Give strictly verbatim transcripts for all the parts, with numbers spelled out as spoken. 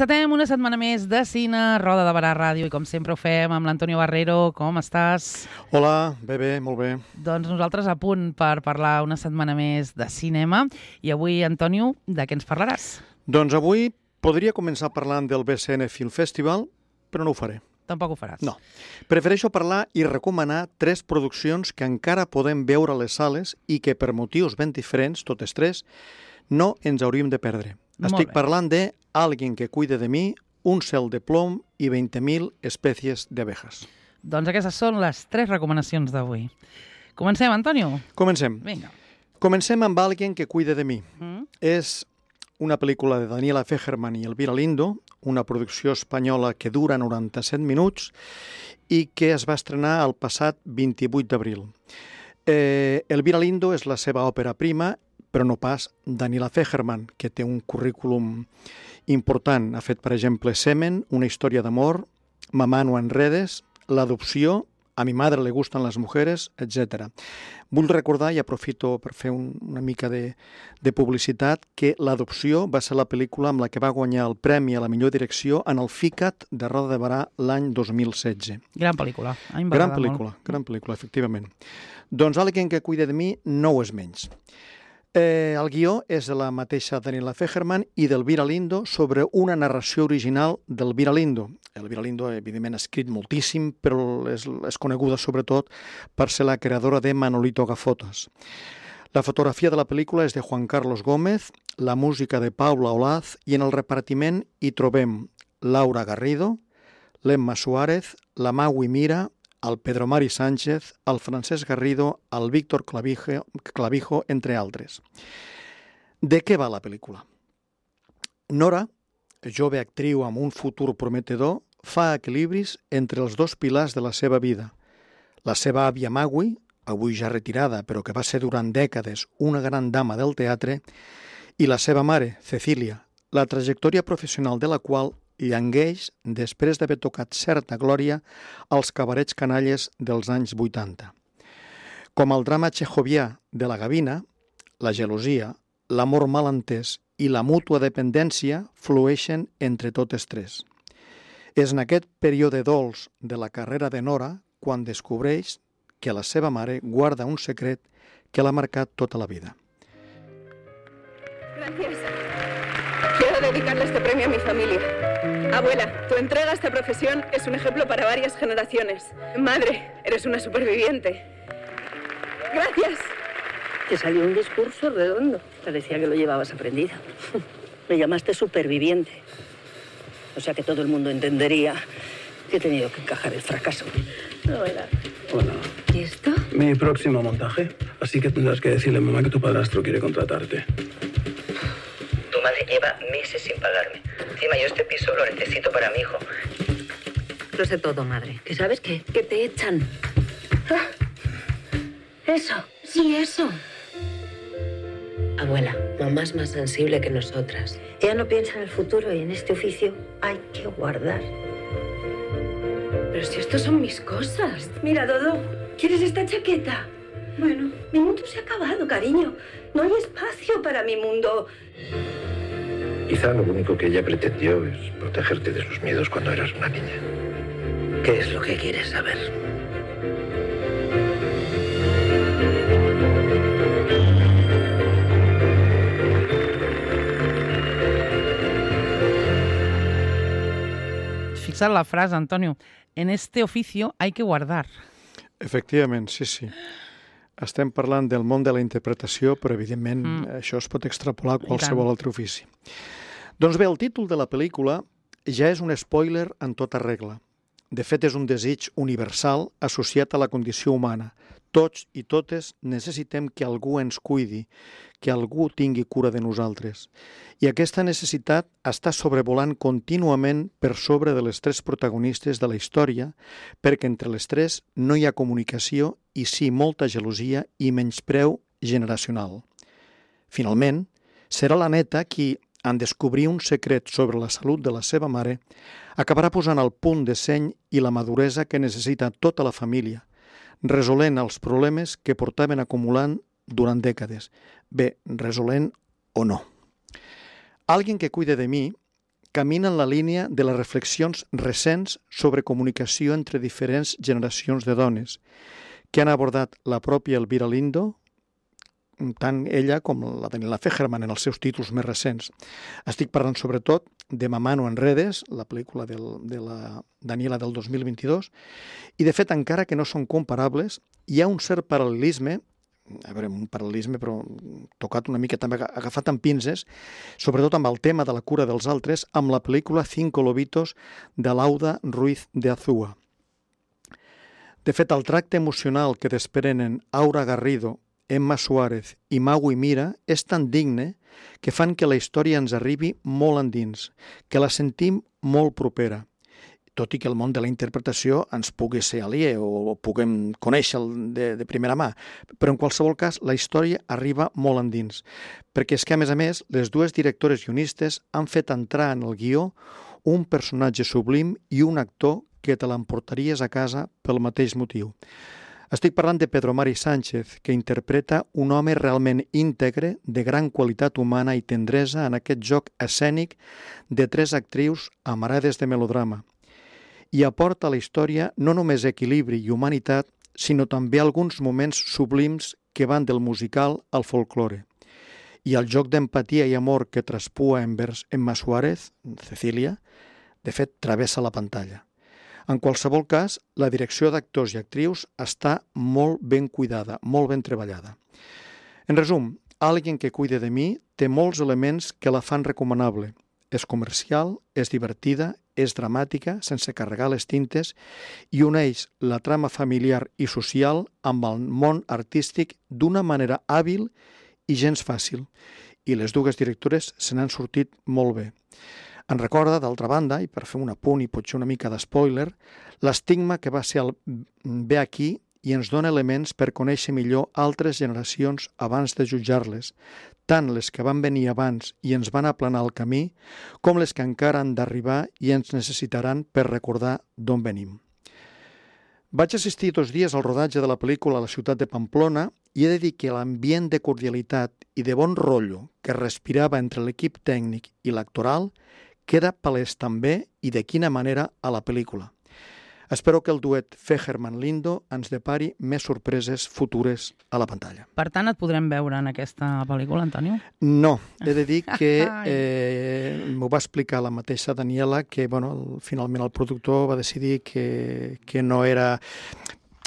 Encetem una setmana més de cine, Roda de Barà Ràdio, i com sempre ho fem amb l'Antonio Barrero. Com estàs? Hola, bé, bé, molt bé. Doncs nosaltres a punt per parlar una setmana més de cinema. I avui, Antonio, de què ens parlaràs? Doncs avui podria començar parlant del B C N Film Festival, però no ho faré. Tampoc ho faràs? No. Prefereixo parlar i recomanar tres produccions que encara podem veure a les sales i que per motius ben diferents, totes tres, no ens hauríem de perdre. Molt Estic bé. parlant de Alguien que cuide de mi, Un cel de plom i veinte mil especies de abejas. Doncs aquestes són les tres recomanacions d'avui. Comencem, Antonio? Comencem. Vinga. Comencem amb Alguien que cuide de mi. Mm? És una pel·lícula de Daniela Fegerman i Elvira Lindo, una producció espanyola que dura noranta-set minuts i que es va estrenar el passat vint-i-vuit d'abril. Eh, Elvira Lindo és la seva òpera prima, però no pas Daniela Fegerman, que té un currículum important. Ha fet, per exemple, Semen, una història d'amor, Mamá no enredes, L'adopció, A mi madre le gustan las mujeres, etcètera. Vull recordar, i aprofito per fer un, una mica de, de publicitat, que L'adopció va ser la pel·lícula amb la que va guanyar el premi a la millor direcció en el FICAT de Roda de Barà l'any dos mil setze. Gran pel·lícula. A mi em va Gran agradar pel·lícula, molt. gran pel·lícula, efectivament. Doncs Alguien que cuide de mi no ho és menys. Eh, el guió és de la mateixa Daniela Fegerman i d'Elvira Lindo sobre una narració original d'Elvira Lindo. Elvira Lindo, evidentment, ha escrit moltíssim, però és, és coneguda sobretot per ser la creadora de Manolito Gafotas. La fotografia de la pel·lícula és de Juan Carlos Gómez, la música de Paula Olaz i en el repartiment hi trobem Laura Garrido, l'Emma Suárez, la Maui Mira, el Pedro Mari Sánchez, el Francesc Garrido, el Víctor Clavijo, Clavijo, entre altres. De què va la pel·lícula? Nora, jove actriu amb un futur prometedor, fa equilibris entre els dos pilars de la seva vida. La seva àvia Maui, avui ja retirada, però que va ser durant dècades una gran dama del teatre, i la seva mare, Cecília, la trajectòria professional de la qual llangueix després d'haver tocat certa glòria als cabarets canalles dels anys vuitanta. Com el drama txejovià de la gavina, la gelosia, l'amor mal entès i la mútua dependència flueixen entre totes tres. És en aquest període dolç de la carrera de Nora quan descobreix que la seva mare guarda un secret que l'ha marcat tota la vida. Gracias. Quiero dedicarle este premio a mi familia. Abuela, tu entrega a esta profesión es un ejemplo para varias generaciones. Madre, eres una superviviente. Gracias. Te salió un discurso redondo. Parecía que lo llevabas aprendido. Me llamaste superviviente. O sea que todo el mundo entendería que he tenido que encajar el fracaso. Abuela. Hola. ¿Y esto? Mi próximo montaje. Así que tendrás que decirle a mamá que tu padrastro quiere contratarte. Tu madre lleva meses sin pagarme. Encima yo este piso lo necesito para mi hijo. Lo sé todo, madre. ¿Que sabes qué? Que te echan. Ah. Eso. Sí, eso. Abuela, mamá es más sensible que nosotras. Ella no piensa en el futuro y en este oficio hay que guardar. Pero si estos son mis cosas. Mira, Dodo, ¿quieres esta chaqueta? Bueno, mi mundo se ha acabado, cariño. No hay espacio para mi mundo. Quizá lo único que ella pretendió es protegerte de sus miedos cuando eras una niña. ¿Qué es lo que quieres saber? Fixa't la frase, Antonio. En este oficio hay que guardar. Efectivament, sí, sí. Estem parlant del món de la interpretació, però evidentment Mm. això es pot extrapolar a I qualsevol tant. altre ofici. Doncs bé, el títol de la pel·lícula ja és un spoiler en tota regla. De fet, és un desig universal associat a la condició humana. Tots i totes necessitem que algú ens cuidi, que algú tingui cura de nosaltres. I aquesta necessitat està sobrevolant contínuament per sobre de les tres protagonistes de la història, perquè entre les tres no hi ha comunicació i sí molta gelosia i menyspreu generacional. Finalment, serà la neta qui, en descobrir un secret sobre la salut de la seva mare, acabarà posant el punt de seny i la maduresa que necessita tota la família, resolent els problemes que portaven acumulant durant dècades. Bé, resolent o no. Alguien que cuide de mi, camina en la línia de les reflexions recents sobre comunicació entre diferents generacions de dones que han abordat la pròpia Elvira Lindo, tant ella com la Daniela Fegerman en els seus títols més recents. Estic parlant sobretot de Mamà no enredes, la pel·lícula del, de la Daniela del dos mil vint-i-dos, i de fet, encara que no són comparables, hi ha un cert paral·lelisme, a veure, un paral·lelisme però tocat una mica també agafat amb pinces, sobretot amb el tema de la cura dels altres, amb la pel·lícula Cinco lobitos de Lauda Ruiz de Azúa. De fet, el tracte emocional que desprenen Aura Garrido, Emma Suárez i Mau i Mira és tan digne que fan que la història ens arribi molt endins, que la sentim molt propera, tot i que el món de la interpretació ens pugui ser aliè o puguem conèixer de, de primera mà. Però en qualsevol cas, la història arriba molt endins, perquè és que, a més a més, les dues directores guionistes han fet entrar en el guió un personatge sublim i un actor que te l'emportaries a casa pel mateix motiu. Estic parlant de Pedro Mari Sánchez, que interpreta un home realment íntegre, de gran qualitat humana i tendresa en aquest joc escènic de tres actrius amarades de melodrama. I aporta a la història no només equilibri i humanitat, sinó també alguns moments sublims que van del musical al folklore. I el joc d'empatia i amor que traspua envers Emma Suárez, Cecília, de fet, travessa la pantalla. En qualsevol cas, la direcció d'actors i actrius està molt ben cuidada, molt ben treballada. En resum, Alguien que cuide de mi té molts elements que la fan recomanable. És comercial, és divertida, és dramàtica, sense carregar les tintes, i uneix la trama familiar i social amb el món artístic d'una manera hàbil i gens fàcil. I les dues directores se n'han sortit molt bé. Em recorda, d'altra banda, i per fer un apunt i potser una mica d'espoiler, l'estigma que va ser el Ve aquí i ens dona elements per conèixer millor altres generacions abans de jutjar-les, tant les que van venir abans i ens van aplanar el camí, com les que encara han d'arribar i ens necessitaran per recordar d'on venim. Vaig assistir dos dies al rodatge de la pel·lícula a la ciutat de Pamplona i he de dir que l'ambient de cordialitat i de bon rotllo que respirava entre l'equip tècnic i l'actoral queda palès també, i de quina manera, a la pel·lícula. Espero que el duet Fegerman-Lindo ens depari més sorpreses futures a la pantalla. Per tant, et podrem veure en aquesta pel·lícula, Antonio? No, he de dir que eh, m'ho va explicar la mateixa Daniela, que bueno, finalment el productor va decidir que, que no era...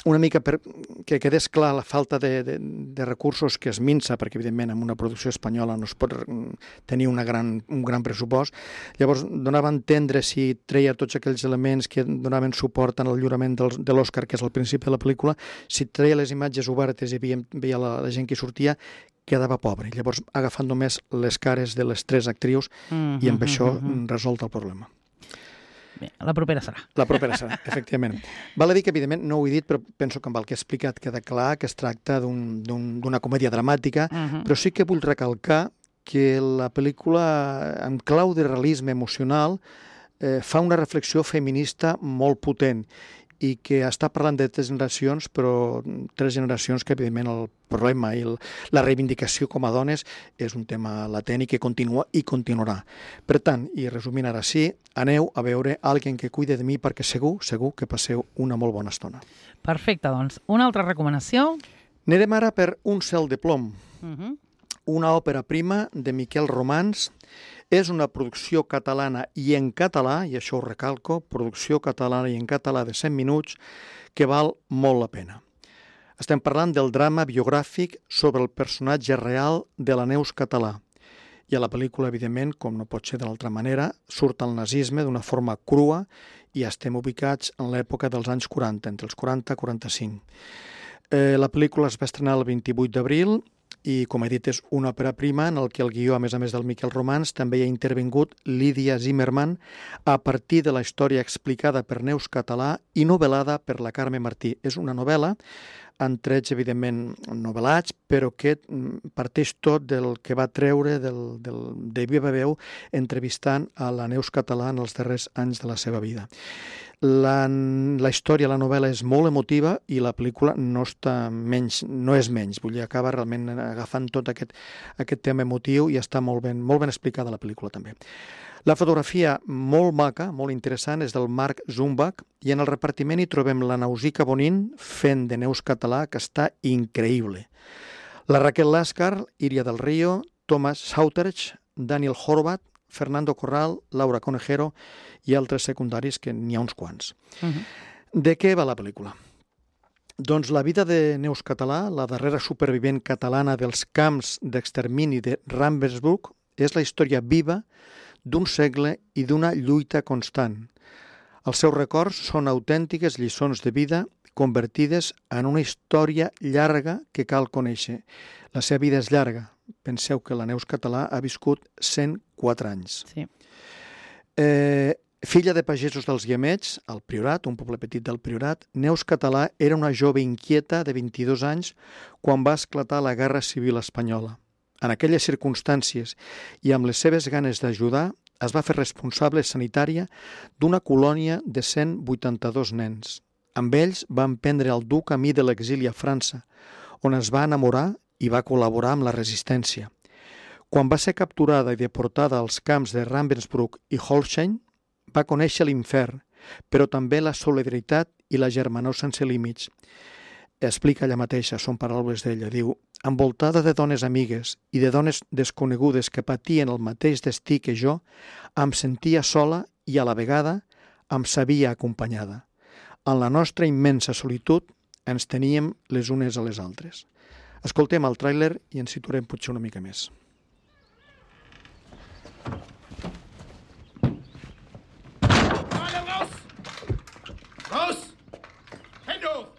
una mica per, que quedés clar la falta de, de, de recursos que es minça, perquè evidentment en una producció espanyola no es pot tenir una gran, un gran pressupost. Llavors donava a entendre, si treia tots aquells elements que donaven suport en el lliurament del, de l'Òscar, que és al principi de la pel·lícula, si treia les imatges obertes i veia, veia la, la gent que sortia, quedava pobre. Llavors agafant només les cares de les tres actrius mm-hmm, i amb això mm-hmm. resolt el problema. Bé, la propera serà. La propera serà, efectivament. Val a dir que, evidentment, no ho he dit, però penso que amb el que he explicat queda clar que es tracta d'un, d'un, d'una comèdia dramàtica, uh-huh. però sí que vull recalcar que la pel·lícula, en clau de realisme emocional, eh, fa una reflexió feminista molt potent i que està parlant de tres generacions, però tres generacions que, evidentment, el problema i el, la reivindicació com a dones és un tema latent i que continua i continuarà. Per tant, i resumint ara sí, aneu a veure Alguien que cuide de mi perquè segur, segur que passeu una molt bona estona. Perfecte, doncs. Una altra recomanació? Anirem ara per Un cel de plom, Uh-huh. una òpera prima de Miquel Romans. És una producció catalana i en català, i això ho recalco, producció catalana i en català de cent minuts, que val molt la pena. Estem parlant del drama biogràfic sobre el personatge real de la Neus Català. I a la pel·lícula, evidentment, com no pot ser de l'altra manera, surt el nazisme d'una forma crua i estem ubicats en l'època dels anys quaranta, entre els quaranta i quaranta-cinc. Eh, la pel·lícula es va estrenar el vint-i-vuit d'abril i, com he dit, és una òpera prima en el que el guió, a més a més del Miquel Romans, també hi ha intervingut Lídia Zimmermann a partir de la història explicada per Neus Català i novel·lada per la Carme Martí. És una novel·la en trets, evidentment, novel·lats, però que parteix tot del que va treure del, del, de viva veu entrevistant a la Neus Català en els darrers anys de la seva vida. La, la història, la novel·la és molt emotiva i la pel·lícula no està menys, no és menys, vull dir, acaba realment agafant tot aquest, aquest tema emotiu i està molt ben, molt ben explicada la pel·lícula també. La fotografia molt maca, molt interessant, és del Marc Zumbach, i en el repartiment hi trobem la Nausica Bonin fent de Neus Català, que està increïble. La Raquel Láscar, Iria del Río, Thomas Sauterch, Daniel Horvath, Fernando Corral, Laura Conejero i altres secundaris, que n'hi ha uns quants. Uh-huh. De què va la pel·lícula? Doncs la vida de Neus Català, la darrera supervivent catalana dels camps d'extermini de Ravensbrück, és la història viva d'un segle i d'una lluita constant. Els seus records són autèntiques lliçons de vida convertides en una història llarga que cal conèixer. La seva vida és llarga. Penseu que la Neus Català ha viscut cent quatre anys. Sí. Eh, filla de pagesos dels Guiamets, al Priorat, un poble petit del Priorat, Neus Català era una jove inquieta de vint-i-dos anys quan va esclatar la Guerra Civil Espanyola. En aquelles circumstàncies i amb les seves ganes d'ajudar, es va fer responsable sanitària d'una colònia de cent vuitanta-dos nens. Amb ells va emprendre el dur camí de l'exili a França, on es va enamorar i va col·laborar amb la resistència. Quan va ser capturada i deportada als camps de Ravensbrück i Holstein, va conèixer l'infern, però també la solidaritat i la germanor sense límits. Explica ella mateixa, són paraules d'ella, diu: envoltada de dones amigues i de dones desconegudes que patien el mateix destí que jo, em sentia sola i a la vegada em sabia acompanyada. En la nostra immensa solitud ens teníem les unes a les altres. Escoltem el tràiler i ens situarem potser una mica més. Raus! Raus! Hände hoch!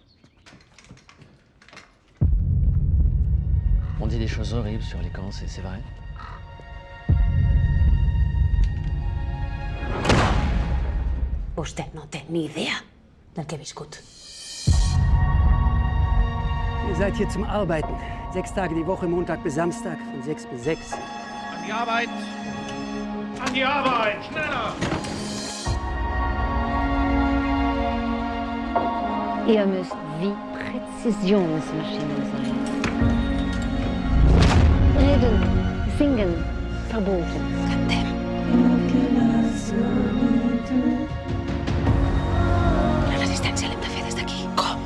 On dit des choses horribles sur les camps, c'est vrai? Usted no té ni idea del que he viscut. Ihr seid hier zum Arbeiten. Sechs Tage die Woche, Montag bis Samstag, von sechs bis sechs. An die Arbeit! An die Arbeit! Schneller! Ihr müsst wie Präzisionsmaschinen sein. Reden, singen, verboten. La resistència l'hem de fer des d'aquí. Com?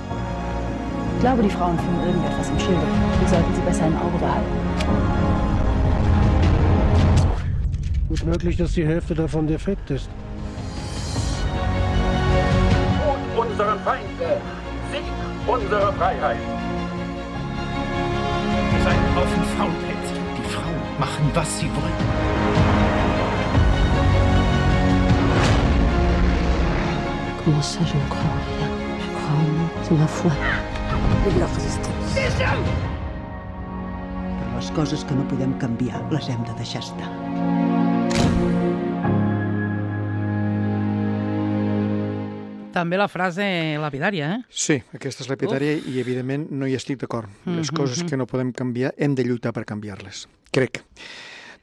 Ich glaube, die Frauen finden irgendetwas im Schilde. Wir sollten sie besser im Auge behalten. Gut möglich, dass die Hälfte davon defekt ist. Und unsere Feinde! Sieg unserer Freiheit! Ihr seid ein Haufen Faulpelze. Die Frauen machen, was sie wollen. Comment ça, je ne crois en rien? Je crois en nous, c'est ma foi. Et la resistance. Però les coses que no podem canviar les hem de deixar estar. També la frase lapidària, eh? Sí, aquesta és lapidària i, evidentment, no hi estic d'acord. Les Mhm, coses mhm. que no podem canviar hem de lluitar per canviar-les. Crec.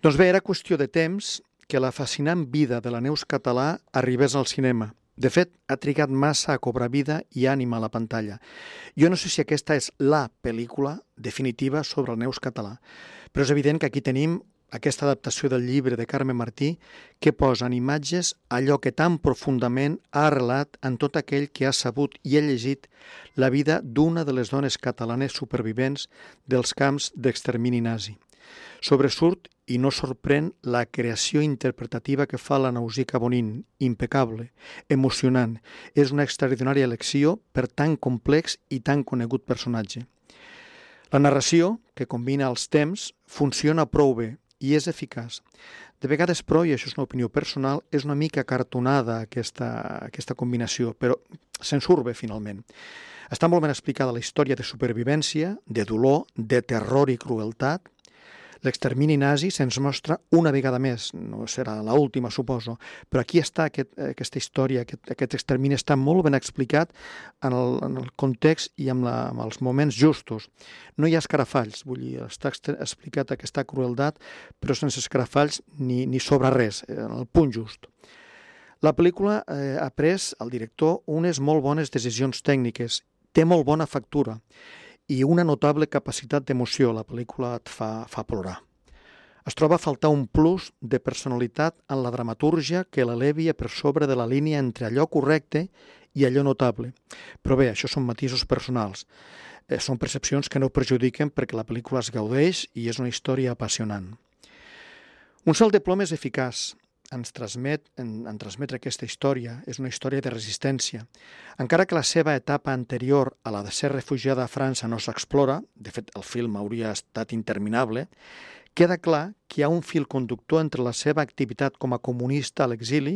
Doncs bé, era qüestió de temps que la fascinant vida de la Neus Català arribés al cinema. De fet, ha trigat massa a cobrar vida i ànima a la pantalla. Jo no sé si aquesta és la pel·lícula definitiva sobre el Neus Català, però és evident que aquí tenim aquesta adaptació del llibre de Carme Martí que posa en imatges allò que tan profundament ha arrelat en tot aquell que ha sabut i ha llegit la vida d'una de les dones catalanes supervivents dels camps d'extermini nazi. Sobresurt i no sorprèn la creació interpretativa que fa la Nausica Bonin, impecable, emocionant. És una extraordinària elecció per tan complex i tan conegut personatge. La narració, que combina els temps, funciona prou bé i és eficaç. De vegades, però, i això és una opinió personal, és una mica cartonada aquesta, aquesta combinació, però se'n surt bé finalment. Està molt ben explicada la història de supervivència, de dolor, de terror i crueltat. L'extermini nazi se'ns mostra una vegada més, no serà l'última, suposo, però aquí està aquest, aquesta història, aquest, aquest extermini està molt ben explicat en el, en el context i amb, la, amb els moments justos. No hi ha escarafalls, vull dir, està explicat aquesta crueltat, però sense escarafalls ni, ni sobre res, en el punt just. La pel·lícula eh, ha pres, el director, unes molt bones decisions tècniques, té molt bona factura, i una notable capacitat d'emoció. La pel·lícula et fa, fa plorar. Es troba a faltar un plus de personalitat en la dramatúrgia que l'elevi per sobre de la línia entre allò correcte i allò notable. Però bé, això són matisos personals. Eh, són percepcions que no perjudiquen perquè la pel·lícula es gaudeix i és una història apassionant. Un salt de plom és eficaç. Ens transmet, en, en transmetre aquesta història. És una història de resistència. Encara que la seva etapa anterior a la de ser refugiada a França no s'explora, de fet el film hauria estat interminable, queda clar que hi ha un fil conductor entre la seva activitat com a comunista a l'exili,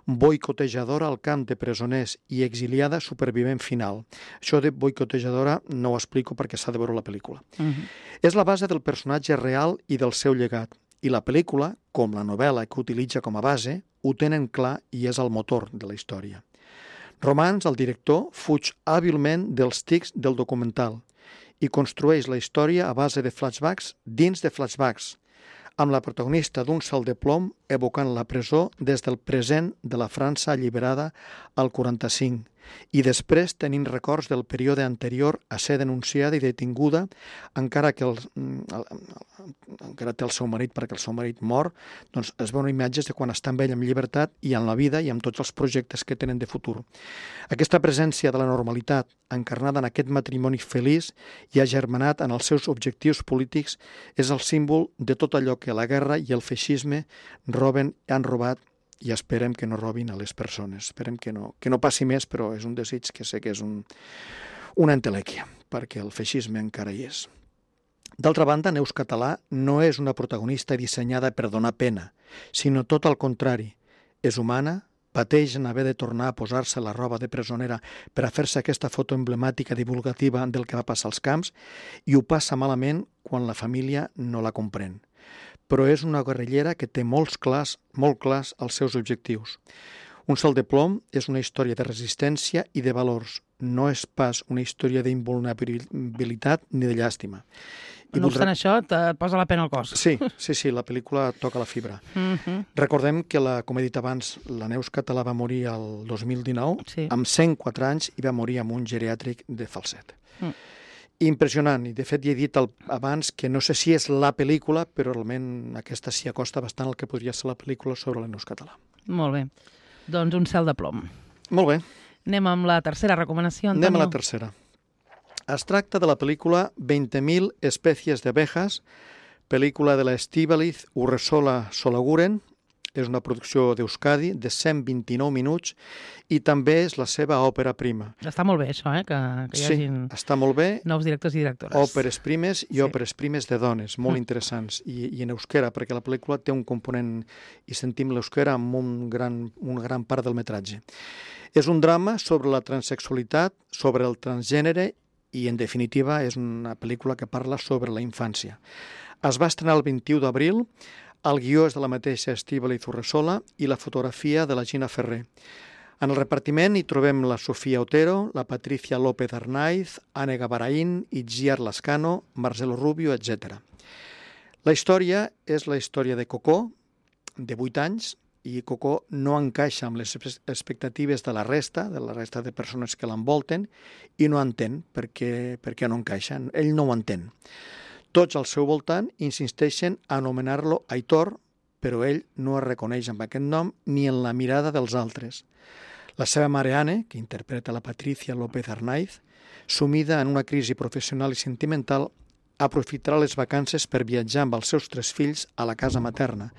boicotejadora al camp de presoners i exiliada supervivent final. Això de boicotejadora no ho explico perquè s'ha de veure la pel·lícula. Uh-huh. És la base del personatge real i del seu llegat. I la pel·lícula, com la novel·la que utilitza com a base, ho tenen clar i és el motor de la història. Romans, el director, fuig hàbilment dels tics del documental i construeix la història a base de flashbacks dins de flashbacks, amb la protagonista d'un salt de plom evocant la presó des del present de la França alliberada al quaranta-cinc i després tenint records del període anterior a ser denunciada i detinguda encara que el, encara té el seu marit perquè el seu marit mor, doncs es veuen imatges de quan està amb ell en llibertat i en la vida i amb tots els projectes que tenen de futur. Aquesta presència de la normalitat encarnada en aquest matrimoni feliç i agermanat en els seus objectius polítics és el símbol de tot allò que la guerra i el feixisme roben i han robat i esperem que no robin a les persones. Esperem que no, que no passi més, però és un desig que sé que és un, una entelèquia, perquè el feixisme encara hi és. D'altra banda, Neus Català no és una protagonista dissenyada per donar pena, sinó tot al contrari. És humana, pateix en haver de tornar a posar-se la roba de presonera per a fer-se aquesta foto emblemàtica divulgativa del que va passar als camps i ho passa malament quan la família no la comprèn. Però és una guerrillera que té molts clars, molt clars els seus objectius. Un salt de plom és una història de resistència i de valors, no és pas una història d'invulnerabilitat ni de llàstima. I no obstant això, et posa la pena al cos. Sí, sí, sí, la pel·lícula toca la fibra. Uh-huh. Recordem que, la, com he dit abans, la Neus Català va morir el dos mil dinou, sí. amb cent quatre anys, i va morir amb un geriàtric de falset. Uh. Impressionant, i de fet ja he dit el, abans que no sé si és la pel·lícula, però realment aquesta s'hi acosta bastant al que podria ser la pel·lícula sobre la Neus Català. Molt bé, doncs un cel de plom. Molt bé. Anem amb la tercera recomanació, Antonio. Anem a la tercera. Es tracta de la pel·lícula veinte mil especies de abejas, pel·lícula de la Estíbaliz Urresola Solaguren. És una producció d'Euskadi de cent vint-i-nou minuts i també és la seva òpera prima. Està molt bé això, eh? que, que hi sí, hagin està molt bé. Nous directors i directores. Òperes primes i sí. òperes primes de dones, molt mm. interessants. I, I en euskera, perquè la pel·lícula té un component, i sentim l'euskera amb un gran, una gran part del metratge. És un drama sobre la transexualitat, sobre el transgènere i, en definitiva, és una pel·lícula que parla sobre la infància. Es va estrenar el vint-i-u d'abril. El guió és de la mateixa Estíbaliz Urresola i la fotografia de la Gina Ferrer. En el repartiment hi trobem la Sofía Otero, la Patricia López Arnaiz, Anne Gavarain, Itziar Lascano, Marcelo Rubio, etcètera. La història és la història de Coco, de vuit anys, i Coco no encaixa amb les expectatives de la resta, de la resta de persones que l'envolten, i no entén perquè, perquè no encaixa. Ell no ho entén. Tots al seu voltant insisteixen a anomenar-lo Aitor, però ell no es reconeix amb aquest nom ni en la mirada dels altres. La seva mare Anne, que interpreta la Patricia López Arnaiz, sumida en una crisi professional i sentimental, aprofitarà les vacances per viatjar amb els seus tres fills a la casa materna,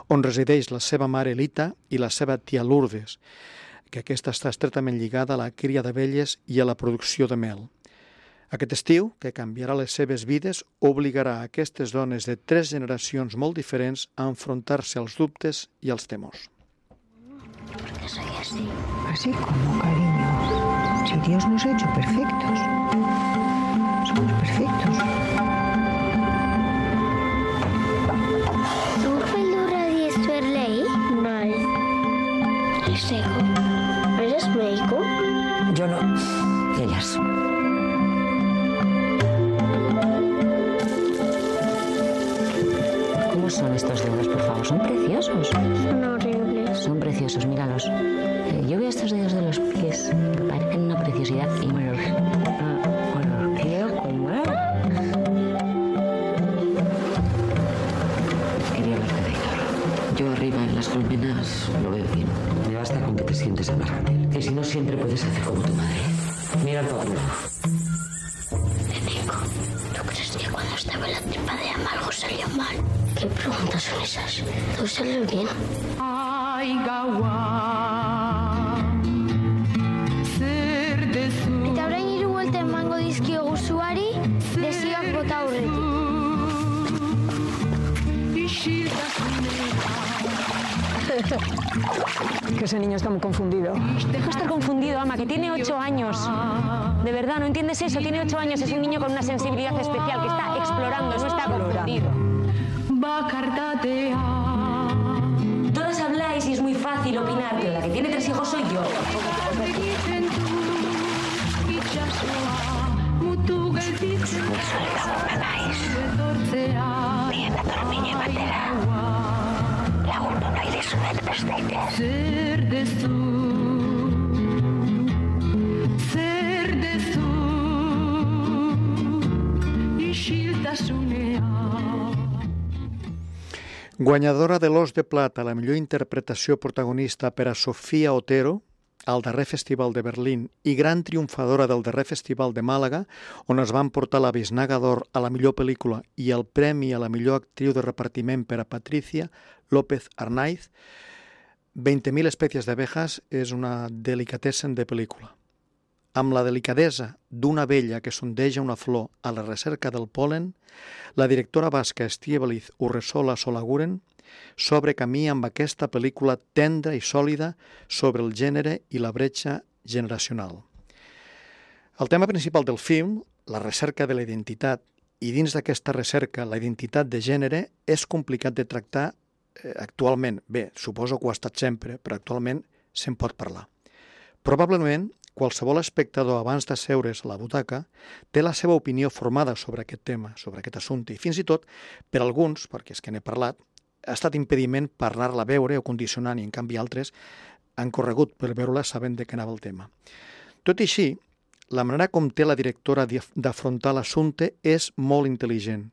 on resideix la seva mare Elita i la seva tia Lourdes, que aquesta està estretament lligada a la cria d'abelles i a la producció de mel. Aquest estiu, que canviarà les seves vides, obligarà a aquestes dones de tres generacions molt diferents a enfrontar-se als dubtes i als temors. ¿Por qué soy así? Así como, cariño. Si Dios nos ha hecho perfectos. Somos perfectos. ¿Tu pelo radiesto es ley? Vale. ¿Y seco? ¿Eres médico? Yo no. Ellas. ¿Cómo son estos dedos, por favor? ¿Son preciosos? Son horribles. Son preciosos, míralos. Eh, yo veo estos dedos de los pies que parecen una preciosidad y me los, uh, me los quiero comer. las colmenas lo veo bien. Me basta con que te sientes en Margatel. Que si no siempre puedes hacer como tu madre. Mira el papel. Nico, ¿tú crees que cuando estaba en la tripa de Ama algo salió mal? ¿Qué preguntas son esas? Todo salió bien. Eta orain hiru buelta emango dizkiogu zuari, desioak bota aurretik. Que ese niño está muy confundido. Deja de estar confundido, Ama, que tiene ocho años. De verdad, ¿no entiendes eso? Tiene ocho años, es un niño con una sensibilidad especial que está explorando, no está confundido. Todas habláis y es muy fácil opinar, pero la que tiene tres hijos soy yo. Bien, a dormir batera. Lagun du nahi dizuet besteite. Zer dezu, zer dezu, isiltasunea. Guanyadora de l'Os de Plata, la millor interpretació protagonista per a Sofia Otero, al darrer Festival de Berlín, i gran triomfadora del darrer Festival de Màlaga, on es van portar la Biznaga d'Or a la millor pel·lícula i el premi a la millor actriu de repartiment per a Patricia López Arnaiz, veinte mil especies d'abejas és una delicatessen de pel·lícula. Amb la delicadesa d'una abella que sondeja una flor a la recerca del pol·len, la directora basca Estíbaliz Urresola Solaguren s'obre camí amb aquesta pel·lícula tendra i sòlida sobre el gènere i la bretxa generacional. El tema principal del film, la recerca de la identitat, i dins d'aquesta recerca la identitat de gènere, és complicat de tractar eh, actualment. Bé, suposo que ho ha estat sempre, però actualment se'n pot parlar. Probablement, qualsevol espectador abans d'asseure's a la butaca té la seva opinió formada sobre aquest tema, sobre aquest assumpte, i fins i tot, per alguns, perquè és que n'he parlat, ha estat impediment per anar-la a veure o condicionant, i en canvi altres han corregut per veure-la sabent de què anava el tema. Tot i així, la manera com té la directora d'afrontar l'assumpte és molt intel·ligent.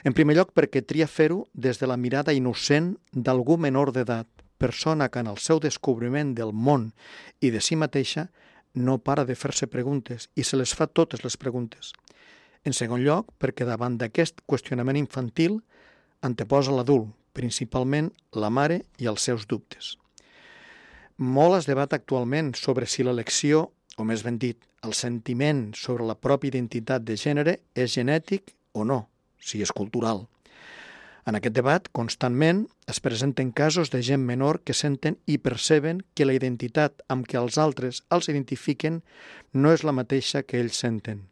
En primer lloc perquè tria fer-ho des de la mirada innocent d'algú menor d'edat, persona que en el seu descobriment del món i de si mateixa no para de fer-se preguntes i se les fa totes les preguntes. En segon lloc, perquè davant d'aquest qüestionament infantil anteposa l'adult, principalment la mare i els seus dubtes. Molt es debat actualment sobre si l'elecció, o més ben dit, el sentiment sobre la pròpia identitat de gènere és genètic o no, si és cultural. En aquest debat, constantment, es presenten casos de gent menor que senten i perceben que la identitat amb què els altres els identifiquen no és la mateixa que ells senten.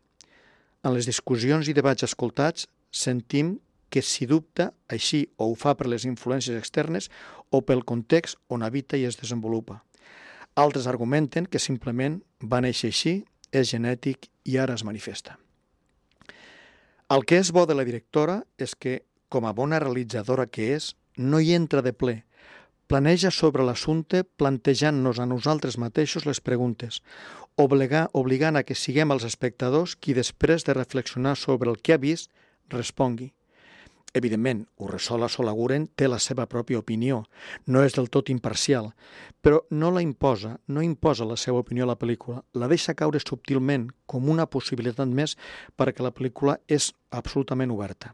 En les discussions i debats escoltats, sentim que si dubta, així o ho fa per les influències externes o pel context on habita i es desenvolupa. Altres argumenten que simplement va néixer així, és genètic i ara es manifesta. El que és bo de la directora és que, com a bona realitzadora que és, no hi entra de ple. Planeja sobre l'assumpte plantejant-nos a nosaltres mateixos les preguntes, obligant a que siguem els espectadors qui després de reflexionar sobre el que ha vist, respongui. Evidentment, Urresola Solaguren té la seva pròpia opinió, no és del tot imparcial, però no la imposa, no imposa la seva opinió a la pel·lícula, la deixa caure subtilment com una possibilitat més perquè la pel·lícula és absolutament oberta.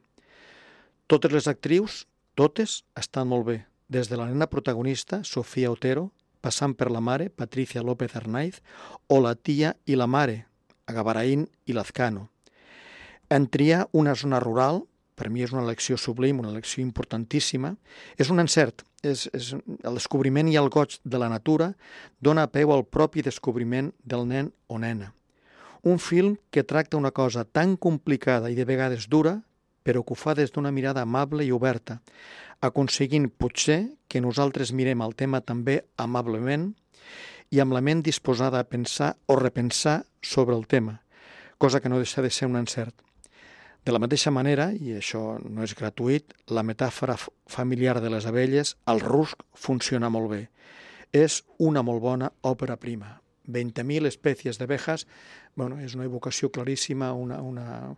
Totes les actrius, totes, estan molt bé, des de la nena protagonista, Sofia Otero, passant per la mare, Patricia López Arnaiz, o la tia i la mare, Agabaraín i Lazcano. En triar una zona rural, per mi és una elecció sublim, una elecció importantíssima, és un encert. És, és, el descobriment i el goig de la natura dona peu al propi descobriment del nen o nena. Un film que tracta una cosa tan complicada i de vegades dura, però que ho fa des d'una mirada amable i oberta, aconseguint potser que nosaltres mirem el tema també amablement i amb la ment disposada a pensar o repensar sobre el tema, cosa que no deixa de ser un encert. De la mateixa manera, i això no és gratuït, la metàfora familiar de les abelles, el rusc, funciona molt bé. És una molt bona òpera prima. veinte mil especies d'abejas, bueno, és una evocació claríssima, una, una,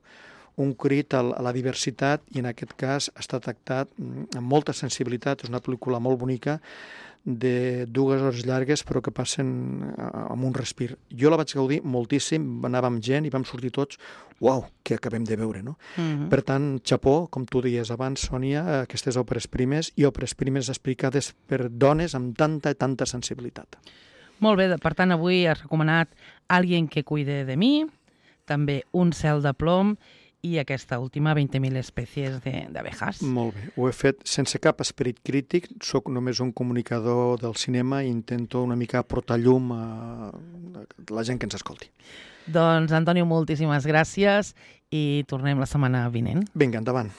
un crit a la diversitat i en aquest cas està tractat amb molta sensibilitat. És una pel·lícula molt bonica de dues hores llargues però que passen amb un respir. Jo la vaig gaudir moltíssim, anàvem amb gent i vam sortir tots, uau, què acabem de veure, no? Mm-hmm. Per tant, xapó, com tu deies abans, Sònia, aquestes òperes primes i òperes primes explicades per dones amb tanta i tanta sensibilitat. Molt bé, per tant, avui has recomanat Alguien que cuide de mi, també Un cel de plom i aquesta última, veinte mil especies d'abejas. Molt bé, ho he fet sense cap esperit crític, sóc només un comunicador del cinema i intento una mica aportar llum a la gent que ens escolti. Doncs, Antonio, moltíssimes gràcies i tornem la setmana vinent. Vinga, endavant.